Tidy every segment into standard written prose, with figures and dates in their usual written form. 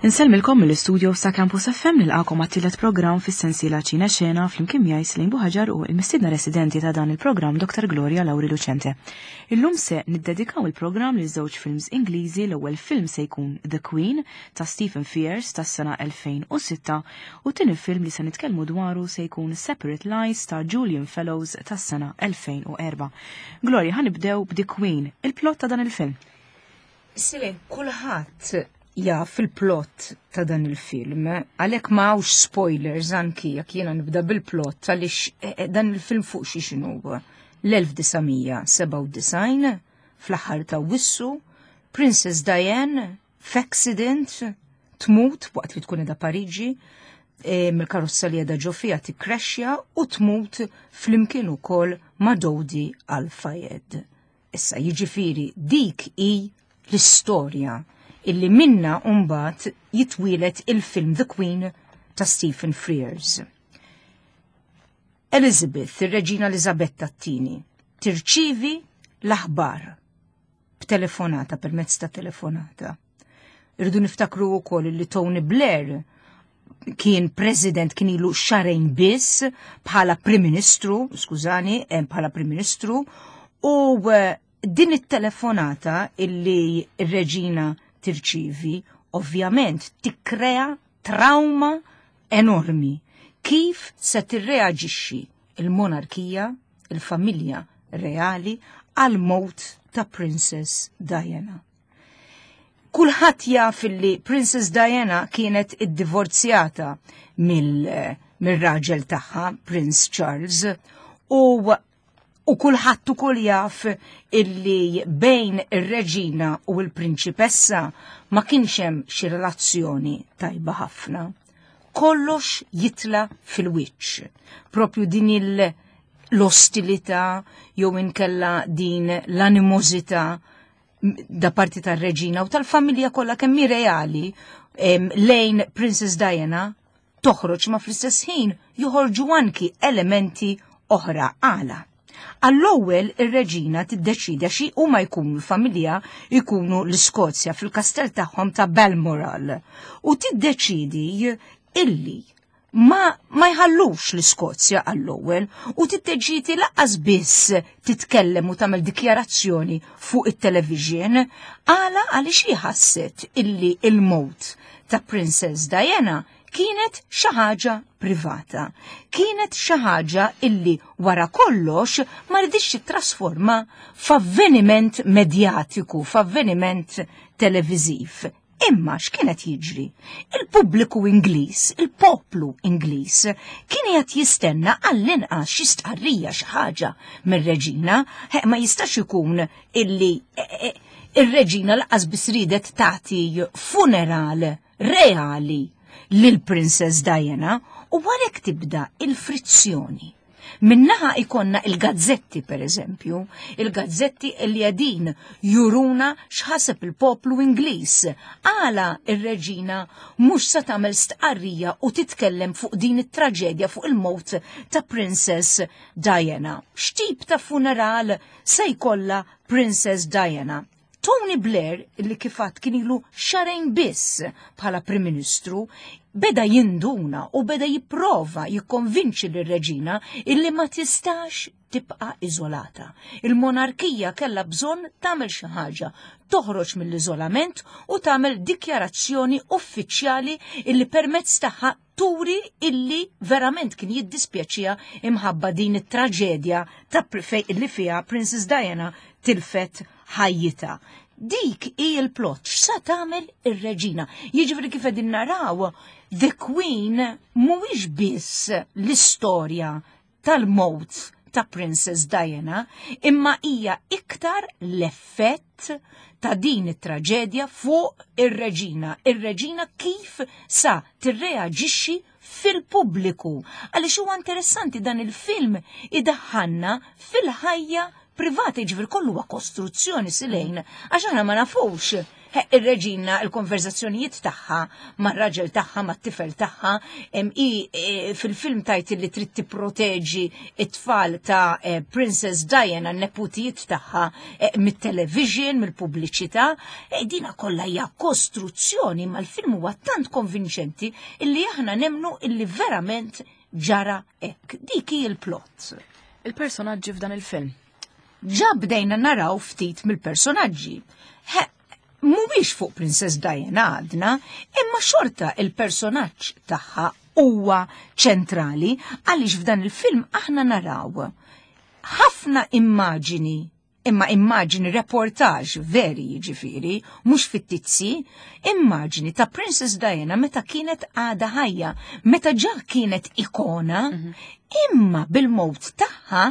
Insellmilkom mill-istudio sa' Campus FM nilqakom għat-tielet programm fis-sensiela Ċina Xena flimkien miegħi Slejn Buħaġar u l-mistiedna residenti ta' dan il-programm Dr. Gloria Lauri Lucente. Illum se niddedikaw il-programm lil żewġ films Ingliżi l-ewwel film se jkun The Queen ta' Stephen Frears tas-sena 2006 u tieni film li se nitkellmu dwaru se jkun Separate Lies ta' Julian Fellows tas-sena 2004. Gloria, ħanibdew b'The Queen, il-plot ta' dan il-film. Silin, kulħadd jaf il-plot ta' dan il-film, għalhekk ma hawnx spoilers anki jekk jiena nibda bil-plot għaliex eh, eh, dan il-film fuq xi x'inhu. L-1997 fl-aħħar ta' Wissu, Princess Diane f'accident tmut waqt li tkun edha Pariġi, eh, mill-karozza li edha ġo fiha tikkrexxja u tmut flimkien ukoll ma' Dodi Al-Fayed. Issa jiġifieri dik hi l-istorja illi minna mbagħad jitwielet il-film The Queen ta' Stephen Frears. Elizabeth, ir-Reġina Elizabetta t-tieni, tirċivi l-aħbar b'telefonata permezz ta' telefonata. Irridu niftakru wkoll li Tony Blair kien president kien ilu xarejn biss bħala Prim Ministru, skużani, eh, bħala Prim Ministru, u eh, din it-telefonata illi r-reġina tirċivi ovvjament tikkrea trauma enormi. Kif se tirreaġixxi il-monarkija, il-familja reali għal mowt ta' Princess Diana? Kulħadd jaf li Princess Diana kienet iddivorzjata mill-raġel tagħha, Prince Charles, u u kulħadd ukoll jaf illi bejn ir-reġina u l-prinċipessa ma kienx hemm xi relazzjoni tajba ħafna. Kollox jitla fil-wiċċ. Propju din il l-ostilità jew inkella din l-animożità da parti tar-reġina u tal-familja kollha kemm hi reali lejn Princess Diana toħroġ ma fl-istess ħin joħorġu anki elementi oħra għala. Għall-ewwel ir-reġina tiddeċida xi huma jkunu l-familja jkunu l-Iskozja fil-kastell tagħhom ta' Balmoral u tiddeċidi illi ma, ma jħallux l-Iskozja għall-ewwel u titteġiti laqqas biss titkellem u tagħmel dikjarazzjoni fuq it-television għala għaliex hi ħasset illi il-mowt ta' Princess Diana kienet xi ħaġa privata. Kienet xi ħaġa illi wara kollox ma ridix titrasforma f'avveniment medjatiku, f'avveniment televiżiv. Imma x'kien qed jiġri? Il-pubbliku Ingliż, il-poplu Ingliż, kien qed jistenna għall-inqas xi stqarrija xi ħaġa mir-reġina, ma jistax ikun illi e, e, ir-reġina laqas biss ridet tagħti funeral reali lil Princess Diana u għalhekk tibda il-frizzjoni. Minnaħa ikonna il-gazzetti, per eżempju, il-gazzetti li għedin juruna x'ħaseb il-poplu Ingliż. Għala ir-reġina mhux se tagħmel stqarrija u titkellem fuq din it-traġedja fuq il-mowt ta' Princess Diana. X'tip ta' funeral se jkollha Princess Diana? Tony Blair, li kifat kien ilu xarejn biss bħala Prim Ministru, beda jinduna u beda jipprova jikkonvinċi lir-reġina illi ma tistax tibqa' iżolata. Il-monarkija kellha bżonn tagħmel xi ħaġa, toħroġ mill-iżolament u tagħmel dikjarazzjoni uffiċjali illi permezz tagħha turi illi verament kien jiddispjaċiha imħabba din it-traġedja ta' fej illi fiha Princess Diana tilfet ħajjitha. Dik hi l-plot, x'sa tagħmel ir-reġina. Jiġifieri kif qegħdin naraw, The Queen mhuwiex biss l-istorja tal-mowt ta' Princess Diana, imma hija iktar l-effett ta' din it-traġedja fuq ir-reġina. Ir-reġina kif sa tirreaġixxi fil-pubbliku. Għaliex huwa interessanti dan il-film idaħħalna fil-ħajja privata, jiġifieri kollu huwa kostruzzjoni silejn, għax aħna ma nafux. Ir-reġina, il-konverzazzjonijiet tagħha mar-raġel tagħha, mat-tifel tagħha, i fil-film tajt li trid tipproteġi it-tfal ta' Princess Diana, n-neputijiet tagħha mit-television, mill-pubbliċità. Dina kollha hija kostruzzjoni, ma l-film huwa tant konvinċenti illi aħna nemnu illi verament ġara hekk. Dik hi l-plot. Il-personaġġi f'dan il-film. Ġa bdejna naraw ftit mill-personaġġi. Mhuwiex fuq Princess Diana għadna, imma xorta il-personaġġ tagħha huwa ċentrali għaliex f'dan il-film aħna naraw ħafna immaġini, imma immaġini reportaġ veri jiġifieri, mhux fittizzi, immaġini ta' Princess Diana meta kienet għada ħajja, meta ġa kienet ikona, imma bil-mowt tagħha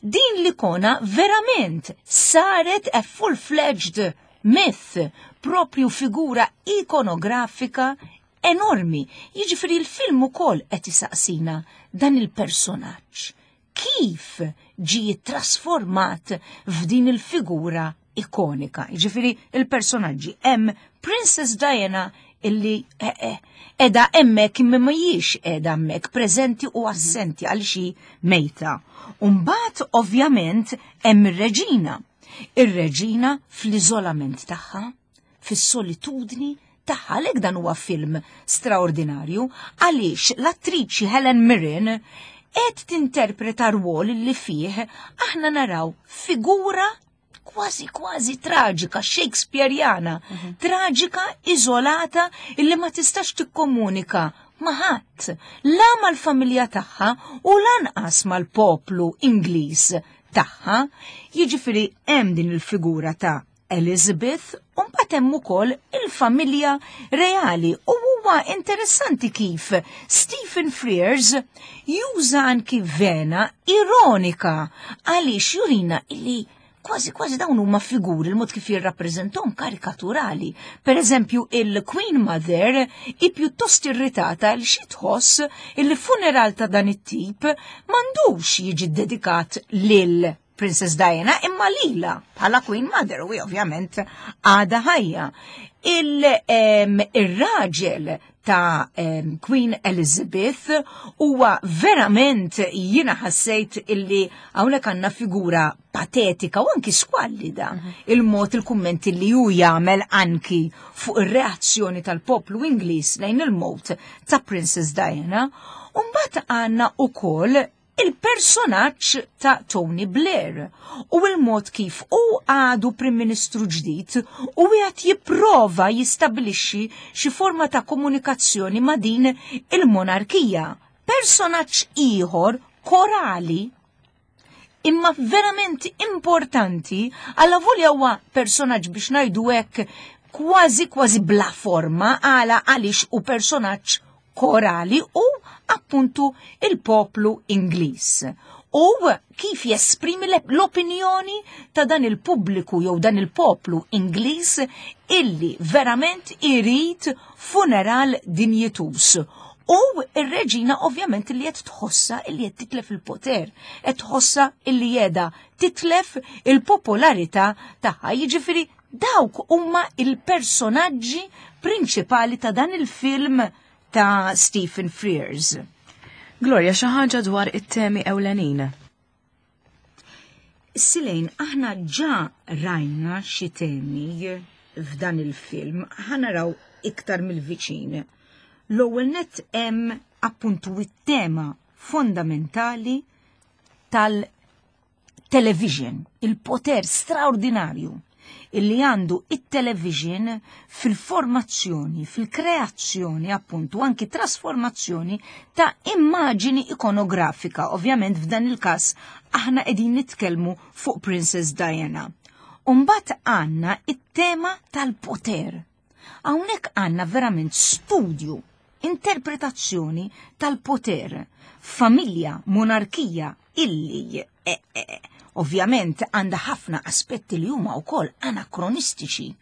din l-ikona verament saret a full-fledged myth, propju figura ikonografika enormi. Jiġifieri l-film ukoll qed isaqsina dan il-personaġġ. Kif ġie trasformat f'din il-figura ikonika? Jiġifieri il-personaġġi hemm Princess Diana illi edha hemmhekk imma mhijiex edha hemmhekk, preżenti u assenti għal xi mejta. Umbagħad ovvjament hemm ir-reġina. Ir-reġina fl-iżolament tagħha, fis-solitudni tagħha, għalhekk dan huwa film straordinarju għaliex l-attriċi Helen Mirren qed tinterpreta rwol li fih aħna naraw figura kważi kważi traġika, Shakespeareana, traġika, iżolata, illi ma tistax tikkomunika ma' ħadd, la mal-familja tagħha u lanqas mal-poplu Ingliż tagħha. Jiġifieri hemm din il-figura ta' Elizabeth u mbagħad hemm ukoll il-familja reali, u huwa interessanti kif Stephen Frears juża anki vena ironika għaliex jurina illi kważi kważi dawn huma figuri il-mod kif jirrappreżentahom karikaturali. Per eżempju, il-Queen Mother hi pjuttost irritata li xi tħoss il-funeral ta' dan it-tip m'għandux jiġi dedikat lil Princess Diana imma lila bħala Queen Mother, u ovvjament għada ħajja. Il-raġel ta' Queen Elizabeth huwa verament, jiena ħassejt illi hawnhekk għandna figura patetika u anki skwallida. Il-mod il-kummenti li hu jagħmel anki fuq ir-reazzjoni tal-poplu Ingliż lejn il-mowt ta' Princess Diana. U mbagħad għandna ukoll il-personaġġ ta' Tony Blair u il-mod kif u għadu Prim Ministru ġdid u għad jipprova jistabilixxi xi forma ta' komunikazzjoni ma' din il-monarkija. Personaġġ ieħor korali imma verament importanti, għalla volja huwa personaġġ biex ngħidu hekk kważi kważi bla forma, għala għaliex u personaġġ korali u appuntu il-poplu Ingliż. U kif jesprimi l-opinjoni ta' dan il-pubbliku jew dan il-poplu Ingliż illi verament irid funeral dinjitus. U ir-reġina ovvjament li qed tħossa illi qed titlef il-poter, qed tħossa illi qiegħda titlef il-popolarità tagħha. Jiġifieri dawk huma il-personaġġi prinċipali ta' dan il-film ta' Stephen Frears. Gloria, xi ħaġa dwar it-temi ewlenin. Silejn, aħna ġa rajna xi temi f'dan il-film, ħa naraw iktar mill-viċin. L-ewwel nett hemm appuntu it-tema fondamentali tal-television, il-poter straordinarju illi għandu it-television fil-formazzjoni, fil-kreazzjoni appuntu, anki trasformazzjoni ta' immaġini ikonografika. Ovvjament f'dan il-każ aħna qegħdin nitkellmu fuq Princess Diana. Umbagħad għandna it-tema tal-poter. Hawnhekk għandna verament studju, interpretazzjoni tal-poter, familja, monarkija illi ovvjament għandha ħafna aspetti li huma wkoll anakronistiċi.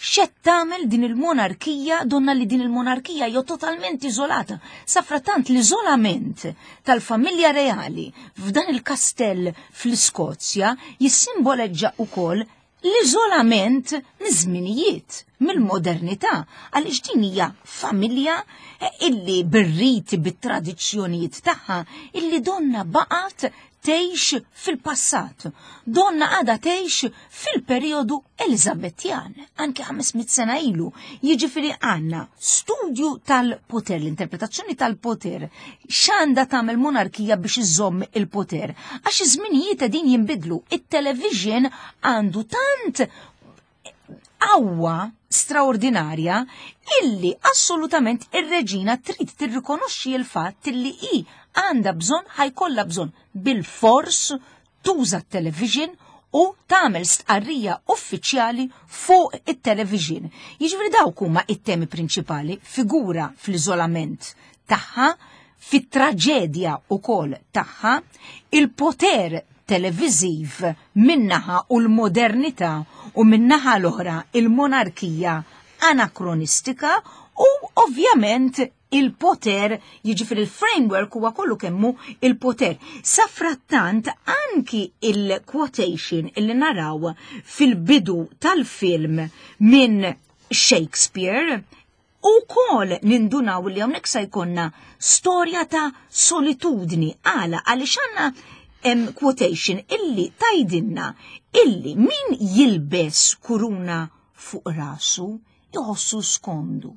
X'qed tagħmel din il-monarkija, donna li din il-monarkija hija totalment iżolata. Safratant l-iżolament tal-familja reali f'dan il-kastell fl-Iskozja jissimboleġġa wkoll l-iżolament miż-żminijiet, mill-modernità, għaliex din hija familja illi bir-riti, bit-tradizzjonijiet tagħha, illi donna baqgħet tgħix fil-passat. Donna għadha tgħix fil-perjodu Eliżabetjan, anke 500 sena ilu. Jiġifieri għandna studju tal-poter, l-interpretazzjoni tal-poter, x'għandha tagħmel monarkija biex iżomm il-poter. Għax iż-żminijiet qegħdin jinbidlu, it-television għandu tant qawwa straordinarja illi assolutament ir-reġina trid tirrikonoxxi l-fatt illi hi għandha bżonn ħajkollha bżonn bil-fors tuża t-television u tagħmel stqarrija uffiċjali fuq it-television. Jiġifieri dawk huma it-temi prinċipali, figura fl-iżolament tagħha, fit-traġedja ukoll tagħha, il-poter televiżiv min-naħa u l-modernità u min-naħa l-oħra il-monarkija anakronistika u ovvjament il-poter, jiġifieri il-framework huwa kollu kemmu il-poter. Safrattant anki il-quotation illi naraw fil-bidu tal-film minn Shakespeare U kol nindunaw li hawnhekk se jkollna storja ta' solitudni. Għala għaliex għandna hemm quotation illi tajdinna illi min jilbes kuruna fuq rasu jħossu skondu.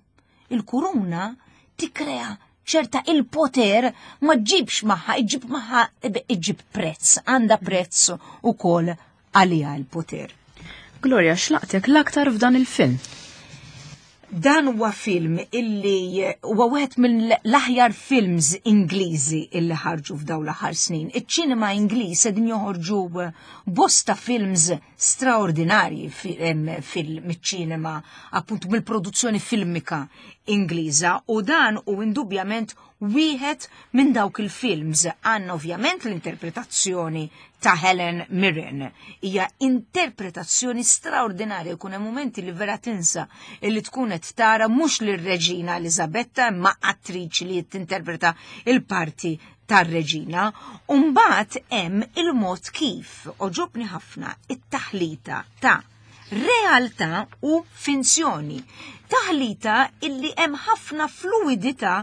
Il-kuruna tikkrea ċerta il-poter ma ġibx magħha, iġib magħha iġib prezz, għandha prezz ukoll għaliha l-poter. Gloria, x'laqtek l-aktar f'dan il-film? Dan huwa film illi huwa wieħed mill-aħjar films Ingliżi illi ħarġu f'dawn l-aħħar snin. Iċ-ċinema Ingliż qegħdin joħorġu bosta films straordinarji fil-ċinema, appuntu mill-produzzjoni filmika Ingliża u dan u indubjament wieħed minn dawk il-films. Għandna ovvjament l-interpretazzjoni ta' Helen Mirren. Hija interpretazzjoni straordinarja, jkun hemm mumenti li vera tinsa li tkun qed tara mhux lir-Reġina Eliżabetta imma attriċi li tinterpreta il-parti tar-Reġina. U mbagħad hemm il-mod kif oġobni ħafna it-taħlita ta' realtà u finzjoni. Taħlita illi hemm ħafna fluidità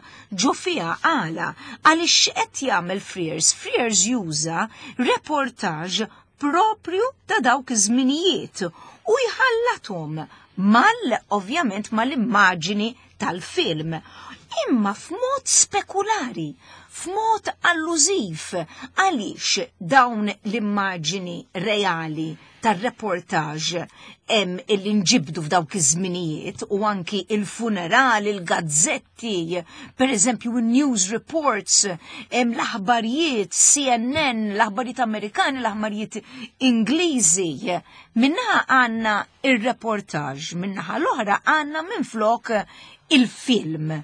ġo fiha għala għaliex x'qed jagħmel Frears? Frears juża reportage propju ta' dawk iż-żminijiet u jħallathom mal ovvjament mal-immaġini tal-film, imma f'mod spekulari, f'mod allużiv, għaliex dawn l-immaġini reali tar-reportage hemm illi nġibdu f'dawk iż-żminijiet u anki il-funeral, il-gazzetti, per eżempju news reports, hemm l-aħbarijiet CNN, l-aħbarijiet Amerikani, l-aħbarijiet Ingliżi. Minnaħa għandna ir-reportage, minnaħa l-oħra għandna minflok il-film.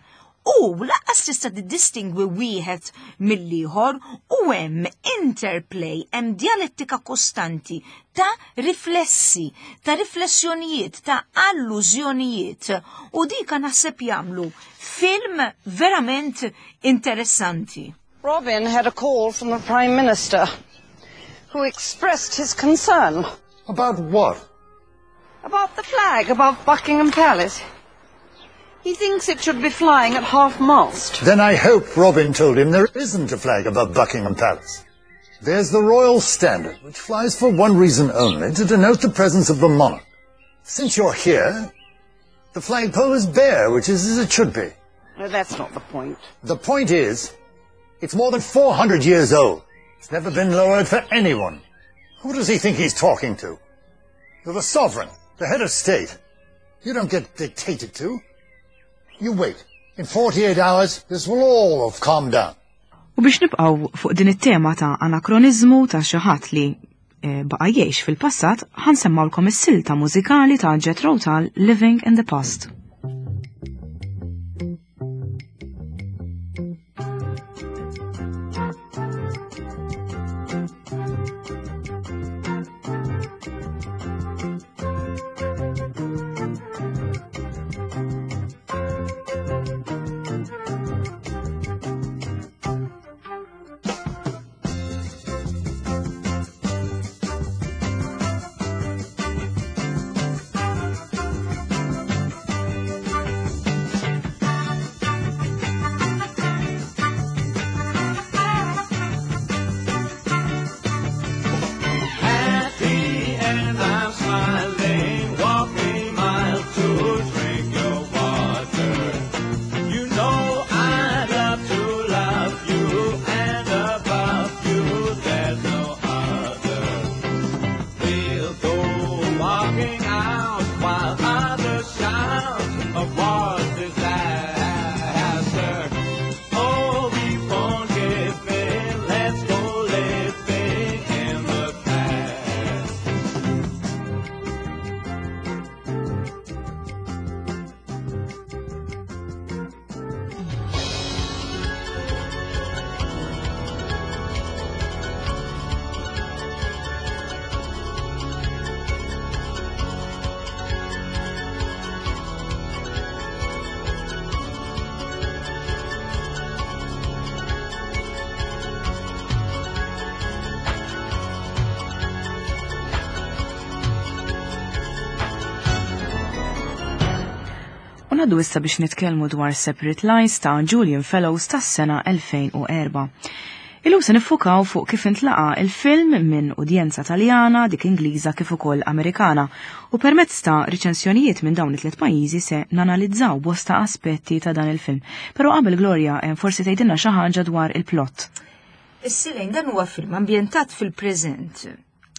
U laqqas tista' tiddistingwi wieħed mill-ieħor u hemm interplay, hemm dialettika kostanti ta' riflessi, ta' riflessjonijiet, ta' allużjonijiet. U dika naħseb jagħmlu film verament interessanti. Robin had a call from the Prime Minister, who expressed his concern. About what? About the flag above Buckingham Palace. He thinks it should be flying at half-mast. Then I hope Robin told him there isn't a flag above Buckingham Palace. There's the royal standard, which flies for one reason only, to denote the presence of the monarch. Since you're here, the flagpole is bare, which is as it should be. No, that's not the point. The point is, it's more than 400 years old. It's never been lowered for anyone. Who does he think he's talking to? You're the sovereign, the head of state. You don't get dictated to. You wait. In 48 hours, this will all have calmed down. U biex nibqgħu fuq din it-tema ta' anakronizmu ta' xi ħadd li eh, baqa' jgħix fil-passat, ħansemmawlkom is-silta mużikali ta' Jethro Tull Living in the Past. Naddu issa biex nitkellmu dwar Separate Lies ta' Julian Fellows tas-sena 2004. Illum se niffukaw fuq kif intlaqa il-film minn udjenza Taljana, dik Ingliża kif ukoll Amerikana u permezz ta' riċensjonijiet minn dawn it-tliet pajjiżi se nanalizzaw bosta aspetti ta' dan il-film. Però qabel Gloria, eh, forsi tgħidilna xi ħaġa dwar il-plot. Is-Silejn dan huwa film ambjentat fil-preżent.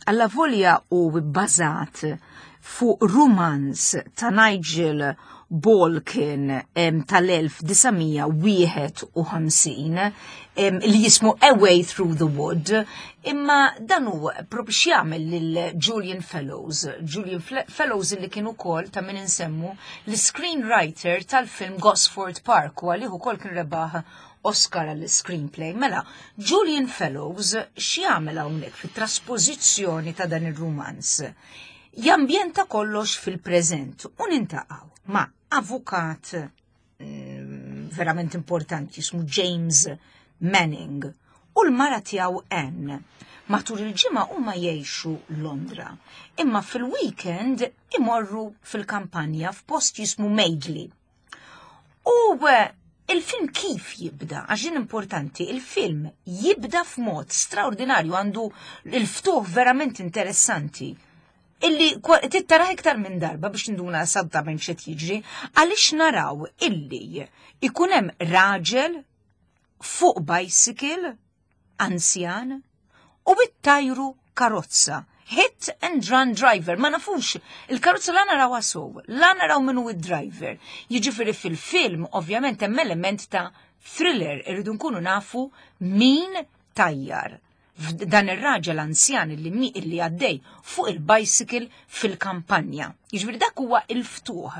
Allavolja hu bbażat fuq rumanz ta' Nigel Balkin tal-1951 li jismu A Way Through the Wood, imma dan hu propju x'jagħmel lil Julian Fellows. Julian Fellows li kien ukoll ta' min insemmu l-screenwriter tal-film Gosford Park u għalih ukoll kien rebaħ Oscar għall-screenplay. Mela, Julian Fellows x'jagħmel hawnhekk fit-traspożizzjoni ta' dan ir-rumanz? Jambjenta kollox fil-preżent u nintaqgħu ma' avukat mm, verament importanti jismu James Manning u l-mara tiegħu Anne. Matul il-ġimgħa huma jgħixu Londra, imma fil-weekend imorru fil-kampanja f'post jismu Madeley. U eh, il-film kif jibda, għax din importanti, il-film jibda f'mod straordinarju għandu il-ftuħ verament interessanti illi tittaraħ iktar minn darba biex nduna esattament x'qed jiġri, għaliex naraw illi ikun hemm raġel fuq bicycle anzjan u ittajru karozza. Hit and run driver, ma nafux, il-karozza la naraw sew, la naraw minnu id-driver. Jiġifieri fil-film, ovvjament, hemm element ta' thriller, irridu nkunu nafu min tajjar. Dan ir-raġel anzjan li mi illi għaddej fuq il-bicycle fil-kampanja. Jiġifieri dak huwa il-ftuħ.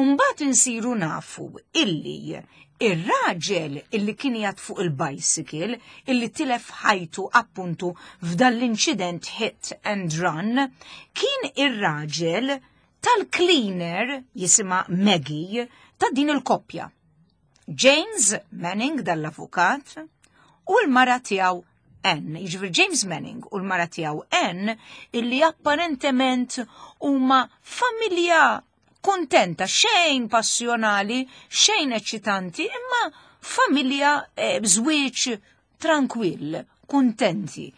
Umbagħad insiru nafu illi Ir-raġel illi kien qiegħed fuq il-bicycle illi tilef ħajtu appuntu f'dan l-inċident hit and run kien ir-raġel tal-cleaner jisimha Maggie ta' din il-koppja. James Manning dal-avukat u l-mara tiegħu Ann, jiġifieri James Manning u l-mara tiegħu Ann illi apparentement huma familja kuntenta, xejn passjonali, xejn eċitanti, imma familja eh, b'żwieġ trankwill, kuntenti.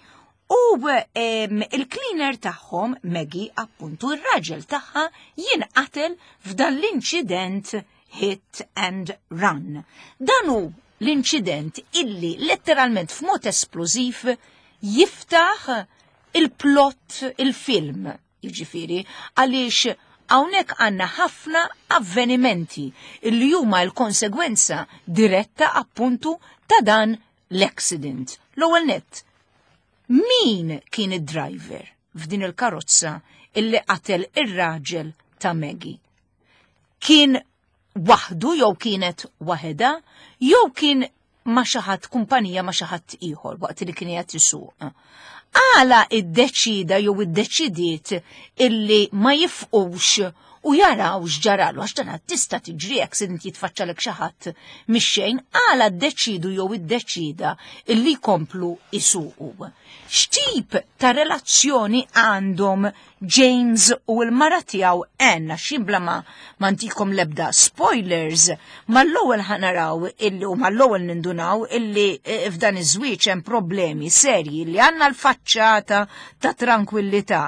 U ehm, il-cleaner tagħhom, Maggie, appuntu ir-raġel tagħha jinqatel f'dan l-inċident hit and run. Dan hu l-inċident illi letteralment f'mod esplużiv jiftaħ il-plot il-film. Jiġifieri, għaliex hawnhekk għandna ħafna avvenimenti li huma l-konsegwenza diretta appuntu ta' dan l-accident. L-ewwel nett, min kien id-driver f'din il-karozza illi qatel ir-raġel ta' Maggie? Kien waħdu jew kienet waħedha jew kien ma' xi ħadd kumpanija ma' xi ħadd ieħor waqt li kien qiegħed isuq. Għala iddeċida jew iddeċidiet illi ma jifqux u jaraw x'ġaralu għax dan tista' tiġri accident jitfaċċalek xi ħadd mix-xejn, għala ddeċidu jew iddeċida illi jkomplu isuqu. X'tip ta' relazzjoni għandhom James u l-mara tiegħu Ann għax jien bla ma ma ntikom l-ebda spoilers, mal-ewwel ħa naraw illi u mal-ewwel nindunaw illi eh, f'dan iż-żwieġ hemm problemi serji li għandna l-faċċata ta' tranquillità,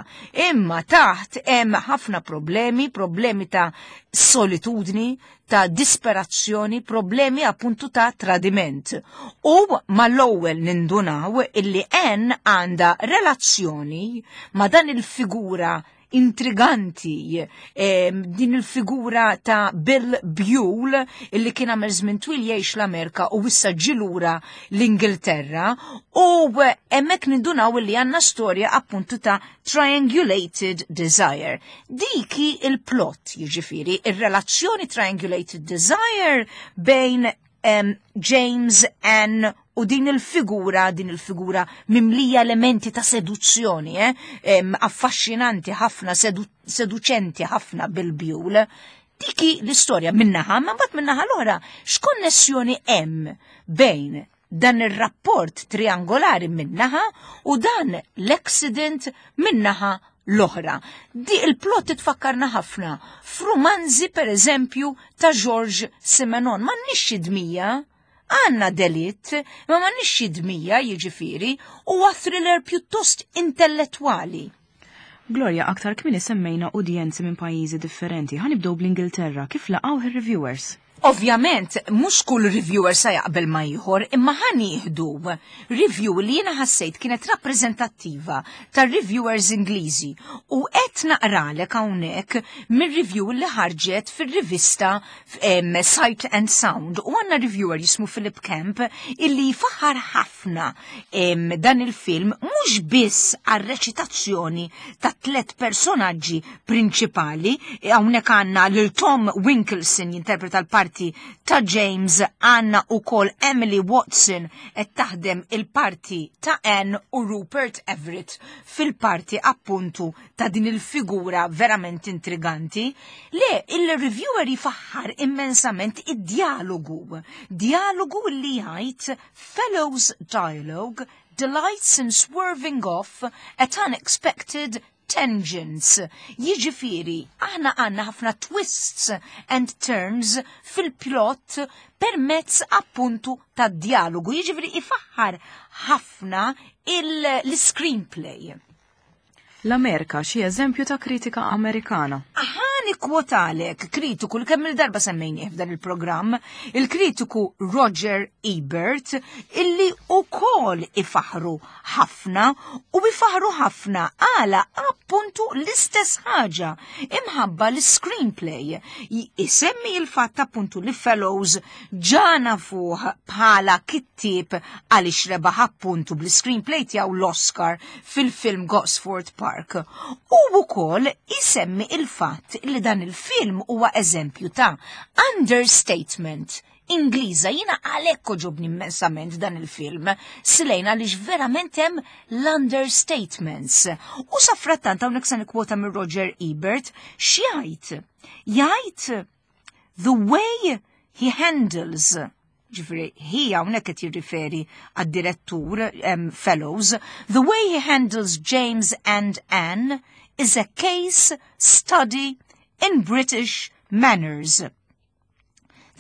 imma taħt hemm ħafna problemi, problemi ta' solitudni, ta' disperazzjoni, problemi appuntu ta' tradiment. U mal-ewwel nindunaw illi Ann għandha relazzjoni ma' dan il-figura intriganti eh, din il-figura ta' Bill Buell illi kien għamel żmien twil jgħix l-Amerika u issa ġilura l-Ingilterra u hemmhekk nindunaw illi għandna storja appuntu ta' Triangulated Desire. Dik hi il-plot, jiġifieri, ir-relazzjoni Triangulated Desire bejn um, James Ann u din il-figura, din il-figura mimlija elementi ta' seduzzjoni, eh? um, affaxxinanti ħafna, sedu seduċenti ħafna bil-bjul. Diki l-istorja minnaħa, ma mbagħad minnaħa l-oħra, x'konnessjoni hemm bejn dan ir-rapport triangolari min-naħa u dan l-accident min-naħa l-oħra. Di il-plot titfakkarna ħafna f'rumanzi per eżempju ta' George Simenon. M'għandniex xi dmija, għandna delitt, ma m'għandniex xi dmija jiġifieri, huwa thriller pjuttost intellettwali. Gloria, aktar kmieni semmejna udjenzi minn pajjiżi differenti. Ħa nibdew bl-Ingilterra, kif laqgħuh ir-reviewers? Ovvjament, mhux kull reviewer sa jaqbel ma ieħor, imma ħa nieħdu review li jiena ħassejt kienet rappreżentattiva tar-reviewers Ingliżi u qed naqralek hawnhekk mir-review li ħarġet fir-rivista Sight and Sound u għandna reviewer jismu Philip Kemp illi jfaħħar ħafna dan il-film mhux biss għar-reċitazzjoni ta' tliet personaġġi prinċipali, hawnhekk għandna lil Tom Wilkinson jinterpreta l-parti ta' James, għandna ukoll Emily Watson qed taħdem il-parti ta' Anne u Rupert Everett fil-parti appuntu ta' din il-figura verament intriganti. Le, il-reviewer jifaħħar immensament id-dialogu, dialogu li jgħid Fellowes dialogue delights in swerving off at unexpected tangents. Jiġifieri, aħna għandna ħafna twists and turns fil-plot permezz appuntu ta' dialogu. Jiġifieri ifaħħar ħafna l-screenplay. L-Amerika, xi eżempju ta' kritika Amerikana. Ħa nikkwotalek kritiku li kemm il-darba semmejnieh f'dan il-programm, il-kritiku Roger Ebert, illi ukoll ifaħru ħafna u ifaħru ħafna għala appuntu l-istess ħaġa imħabba l-screenplay. Isemmi il-fatt appuntu li Fellowes ġana fuq bħala kittieb għaliex rebaħ appuntu bl-screenplay tiegħu l-Oscar fil-film Gosford Park. U wkoll isemmi il-fatt li dan il-film huwa eżempju ta' understatement Ingliża. Jiena għalhekk għoġobni immensament dan il-film, Silejna, għaliex verament hemm l-understatements. U safrattant hawnhekk se nikkwota minn Roger Ebert x'jgħid? Jgħid the way he handles, ġifieri he hawnhekk qed jirriferi għad-direttur Fellowes, the way he handles James and Anne is a case study in British manners.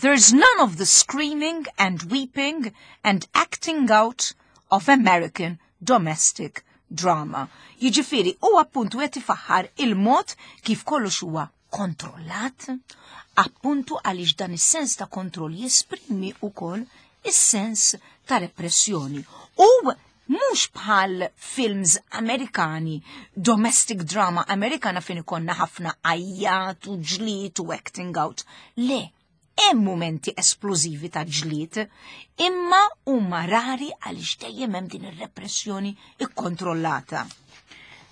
There's none of the screaming and weeping and acting out of American domestic drama. Jiġifieri, u appuntu qed ifaħħar il-mod kif kollox huwa kontrollat, appuntu għaliex dan is-sens ta' kontroll jesprimi wkoll is-sens ta' repressjoni. U mhux bħal films Amerikani, domestic drama Amerikana fejn ikollna ħafna għajjat u ġlied u acting out. Le, hemm momenti esplożivi ta' ġlied, imma huma rari għaliex dejjem hemm din ir-repressjoni ikkontrollata.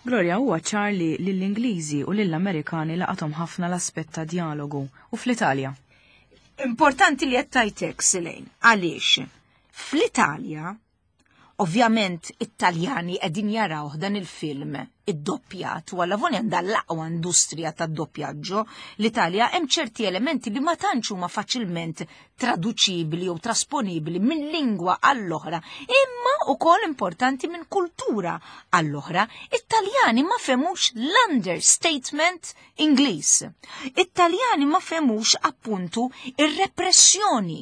Gloria, huwa ċar li lill-Ingliżi u lill-Amerikani laqathom ħafna l-aspett ta' dialogu u fl-Italja. Importanti li qed tajtek, Silejn, għaliex fl-Italja ovvjament it-Taljani qegħdin jaraw dan il-film id-doppjat u għalla għandha l-aqwa industrija tad-doppjaġġo l-Italja, hemm ċerti elementi li ma tantx huma faċilment traduċibili jew trasponibili minn lingwa għall-oħra, imma ukoll importanti minn kultura għall-oħra. It-Taljani ma fehmux l-understatement Ingliż. It-Taljani ma fehmux appuntu ir-repressjoni.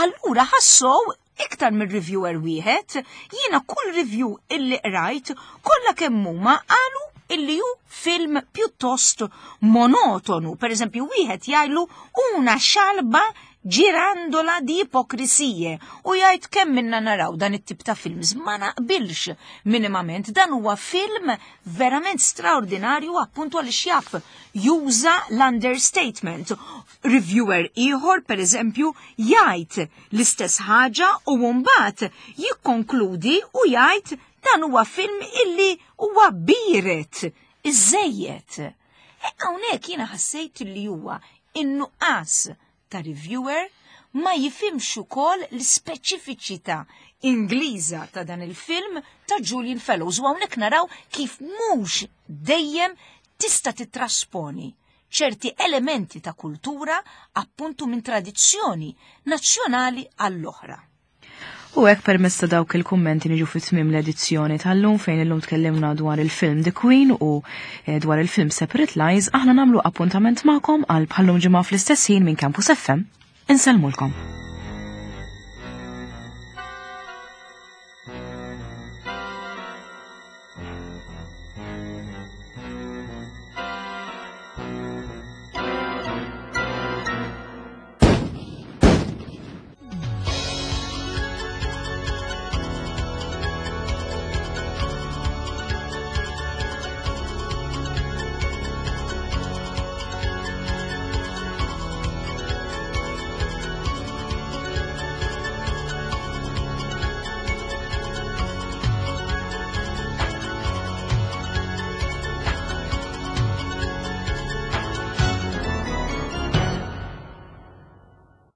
Allura ħassow iktar minn reviewer wieħed, jiena kull review illi qrajt kollha kemm huma qalu illi hu film pjuttost monotonu. Per eżempju, wieħed jgħidlu una scialba girandola di ipocrisie u jgħid kemm minna naraw dan it-tip ta' films, ma naqbilx minimament. Dan huwa film verament straordinarju appuntu għaliex jaf juża l-understatement. Reviewer ieħor, per eżempju, jgħid l-istess ħaġa u mbagħad jikkonkludi u jgħid dan huwa film illi huwa biret iżejjed. E hawnhekk jiena ħassejt li huwa in-nuqqas ta' reviewer ma jifhimx ukoll l-ispeċifiċità Ingliża ta' dan il-film ta' Julian Fellowes u hawnhekk naraw kif mhux dejjem tista' titrasponi ċerti elementi ta' kultura appuntu minn tradizzjoni nazzjonali għall-oħra. U hekk permezz ta' dawk il-kummenti niġu fi tmiem l-edizzjoni tal-lum fejn illum tkellimna dwar il-film The Queen u eh, dwar il-film Separate Lies, aħna nagħmlu appuntament magħkom għal bħallum ġimgħa fl-istess ħin minn Campus FM. Insellmulkom.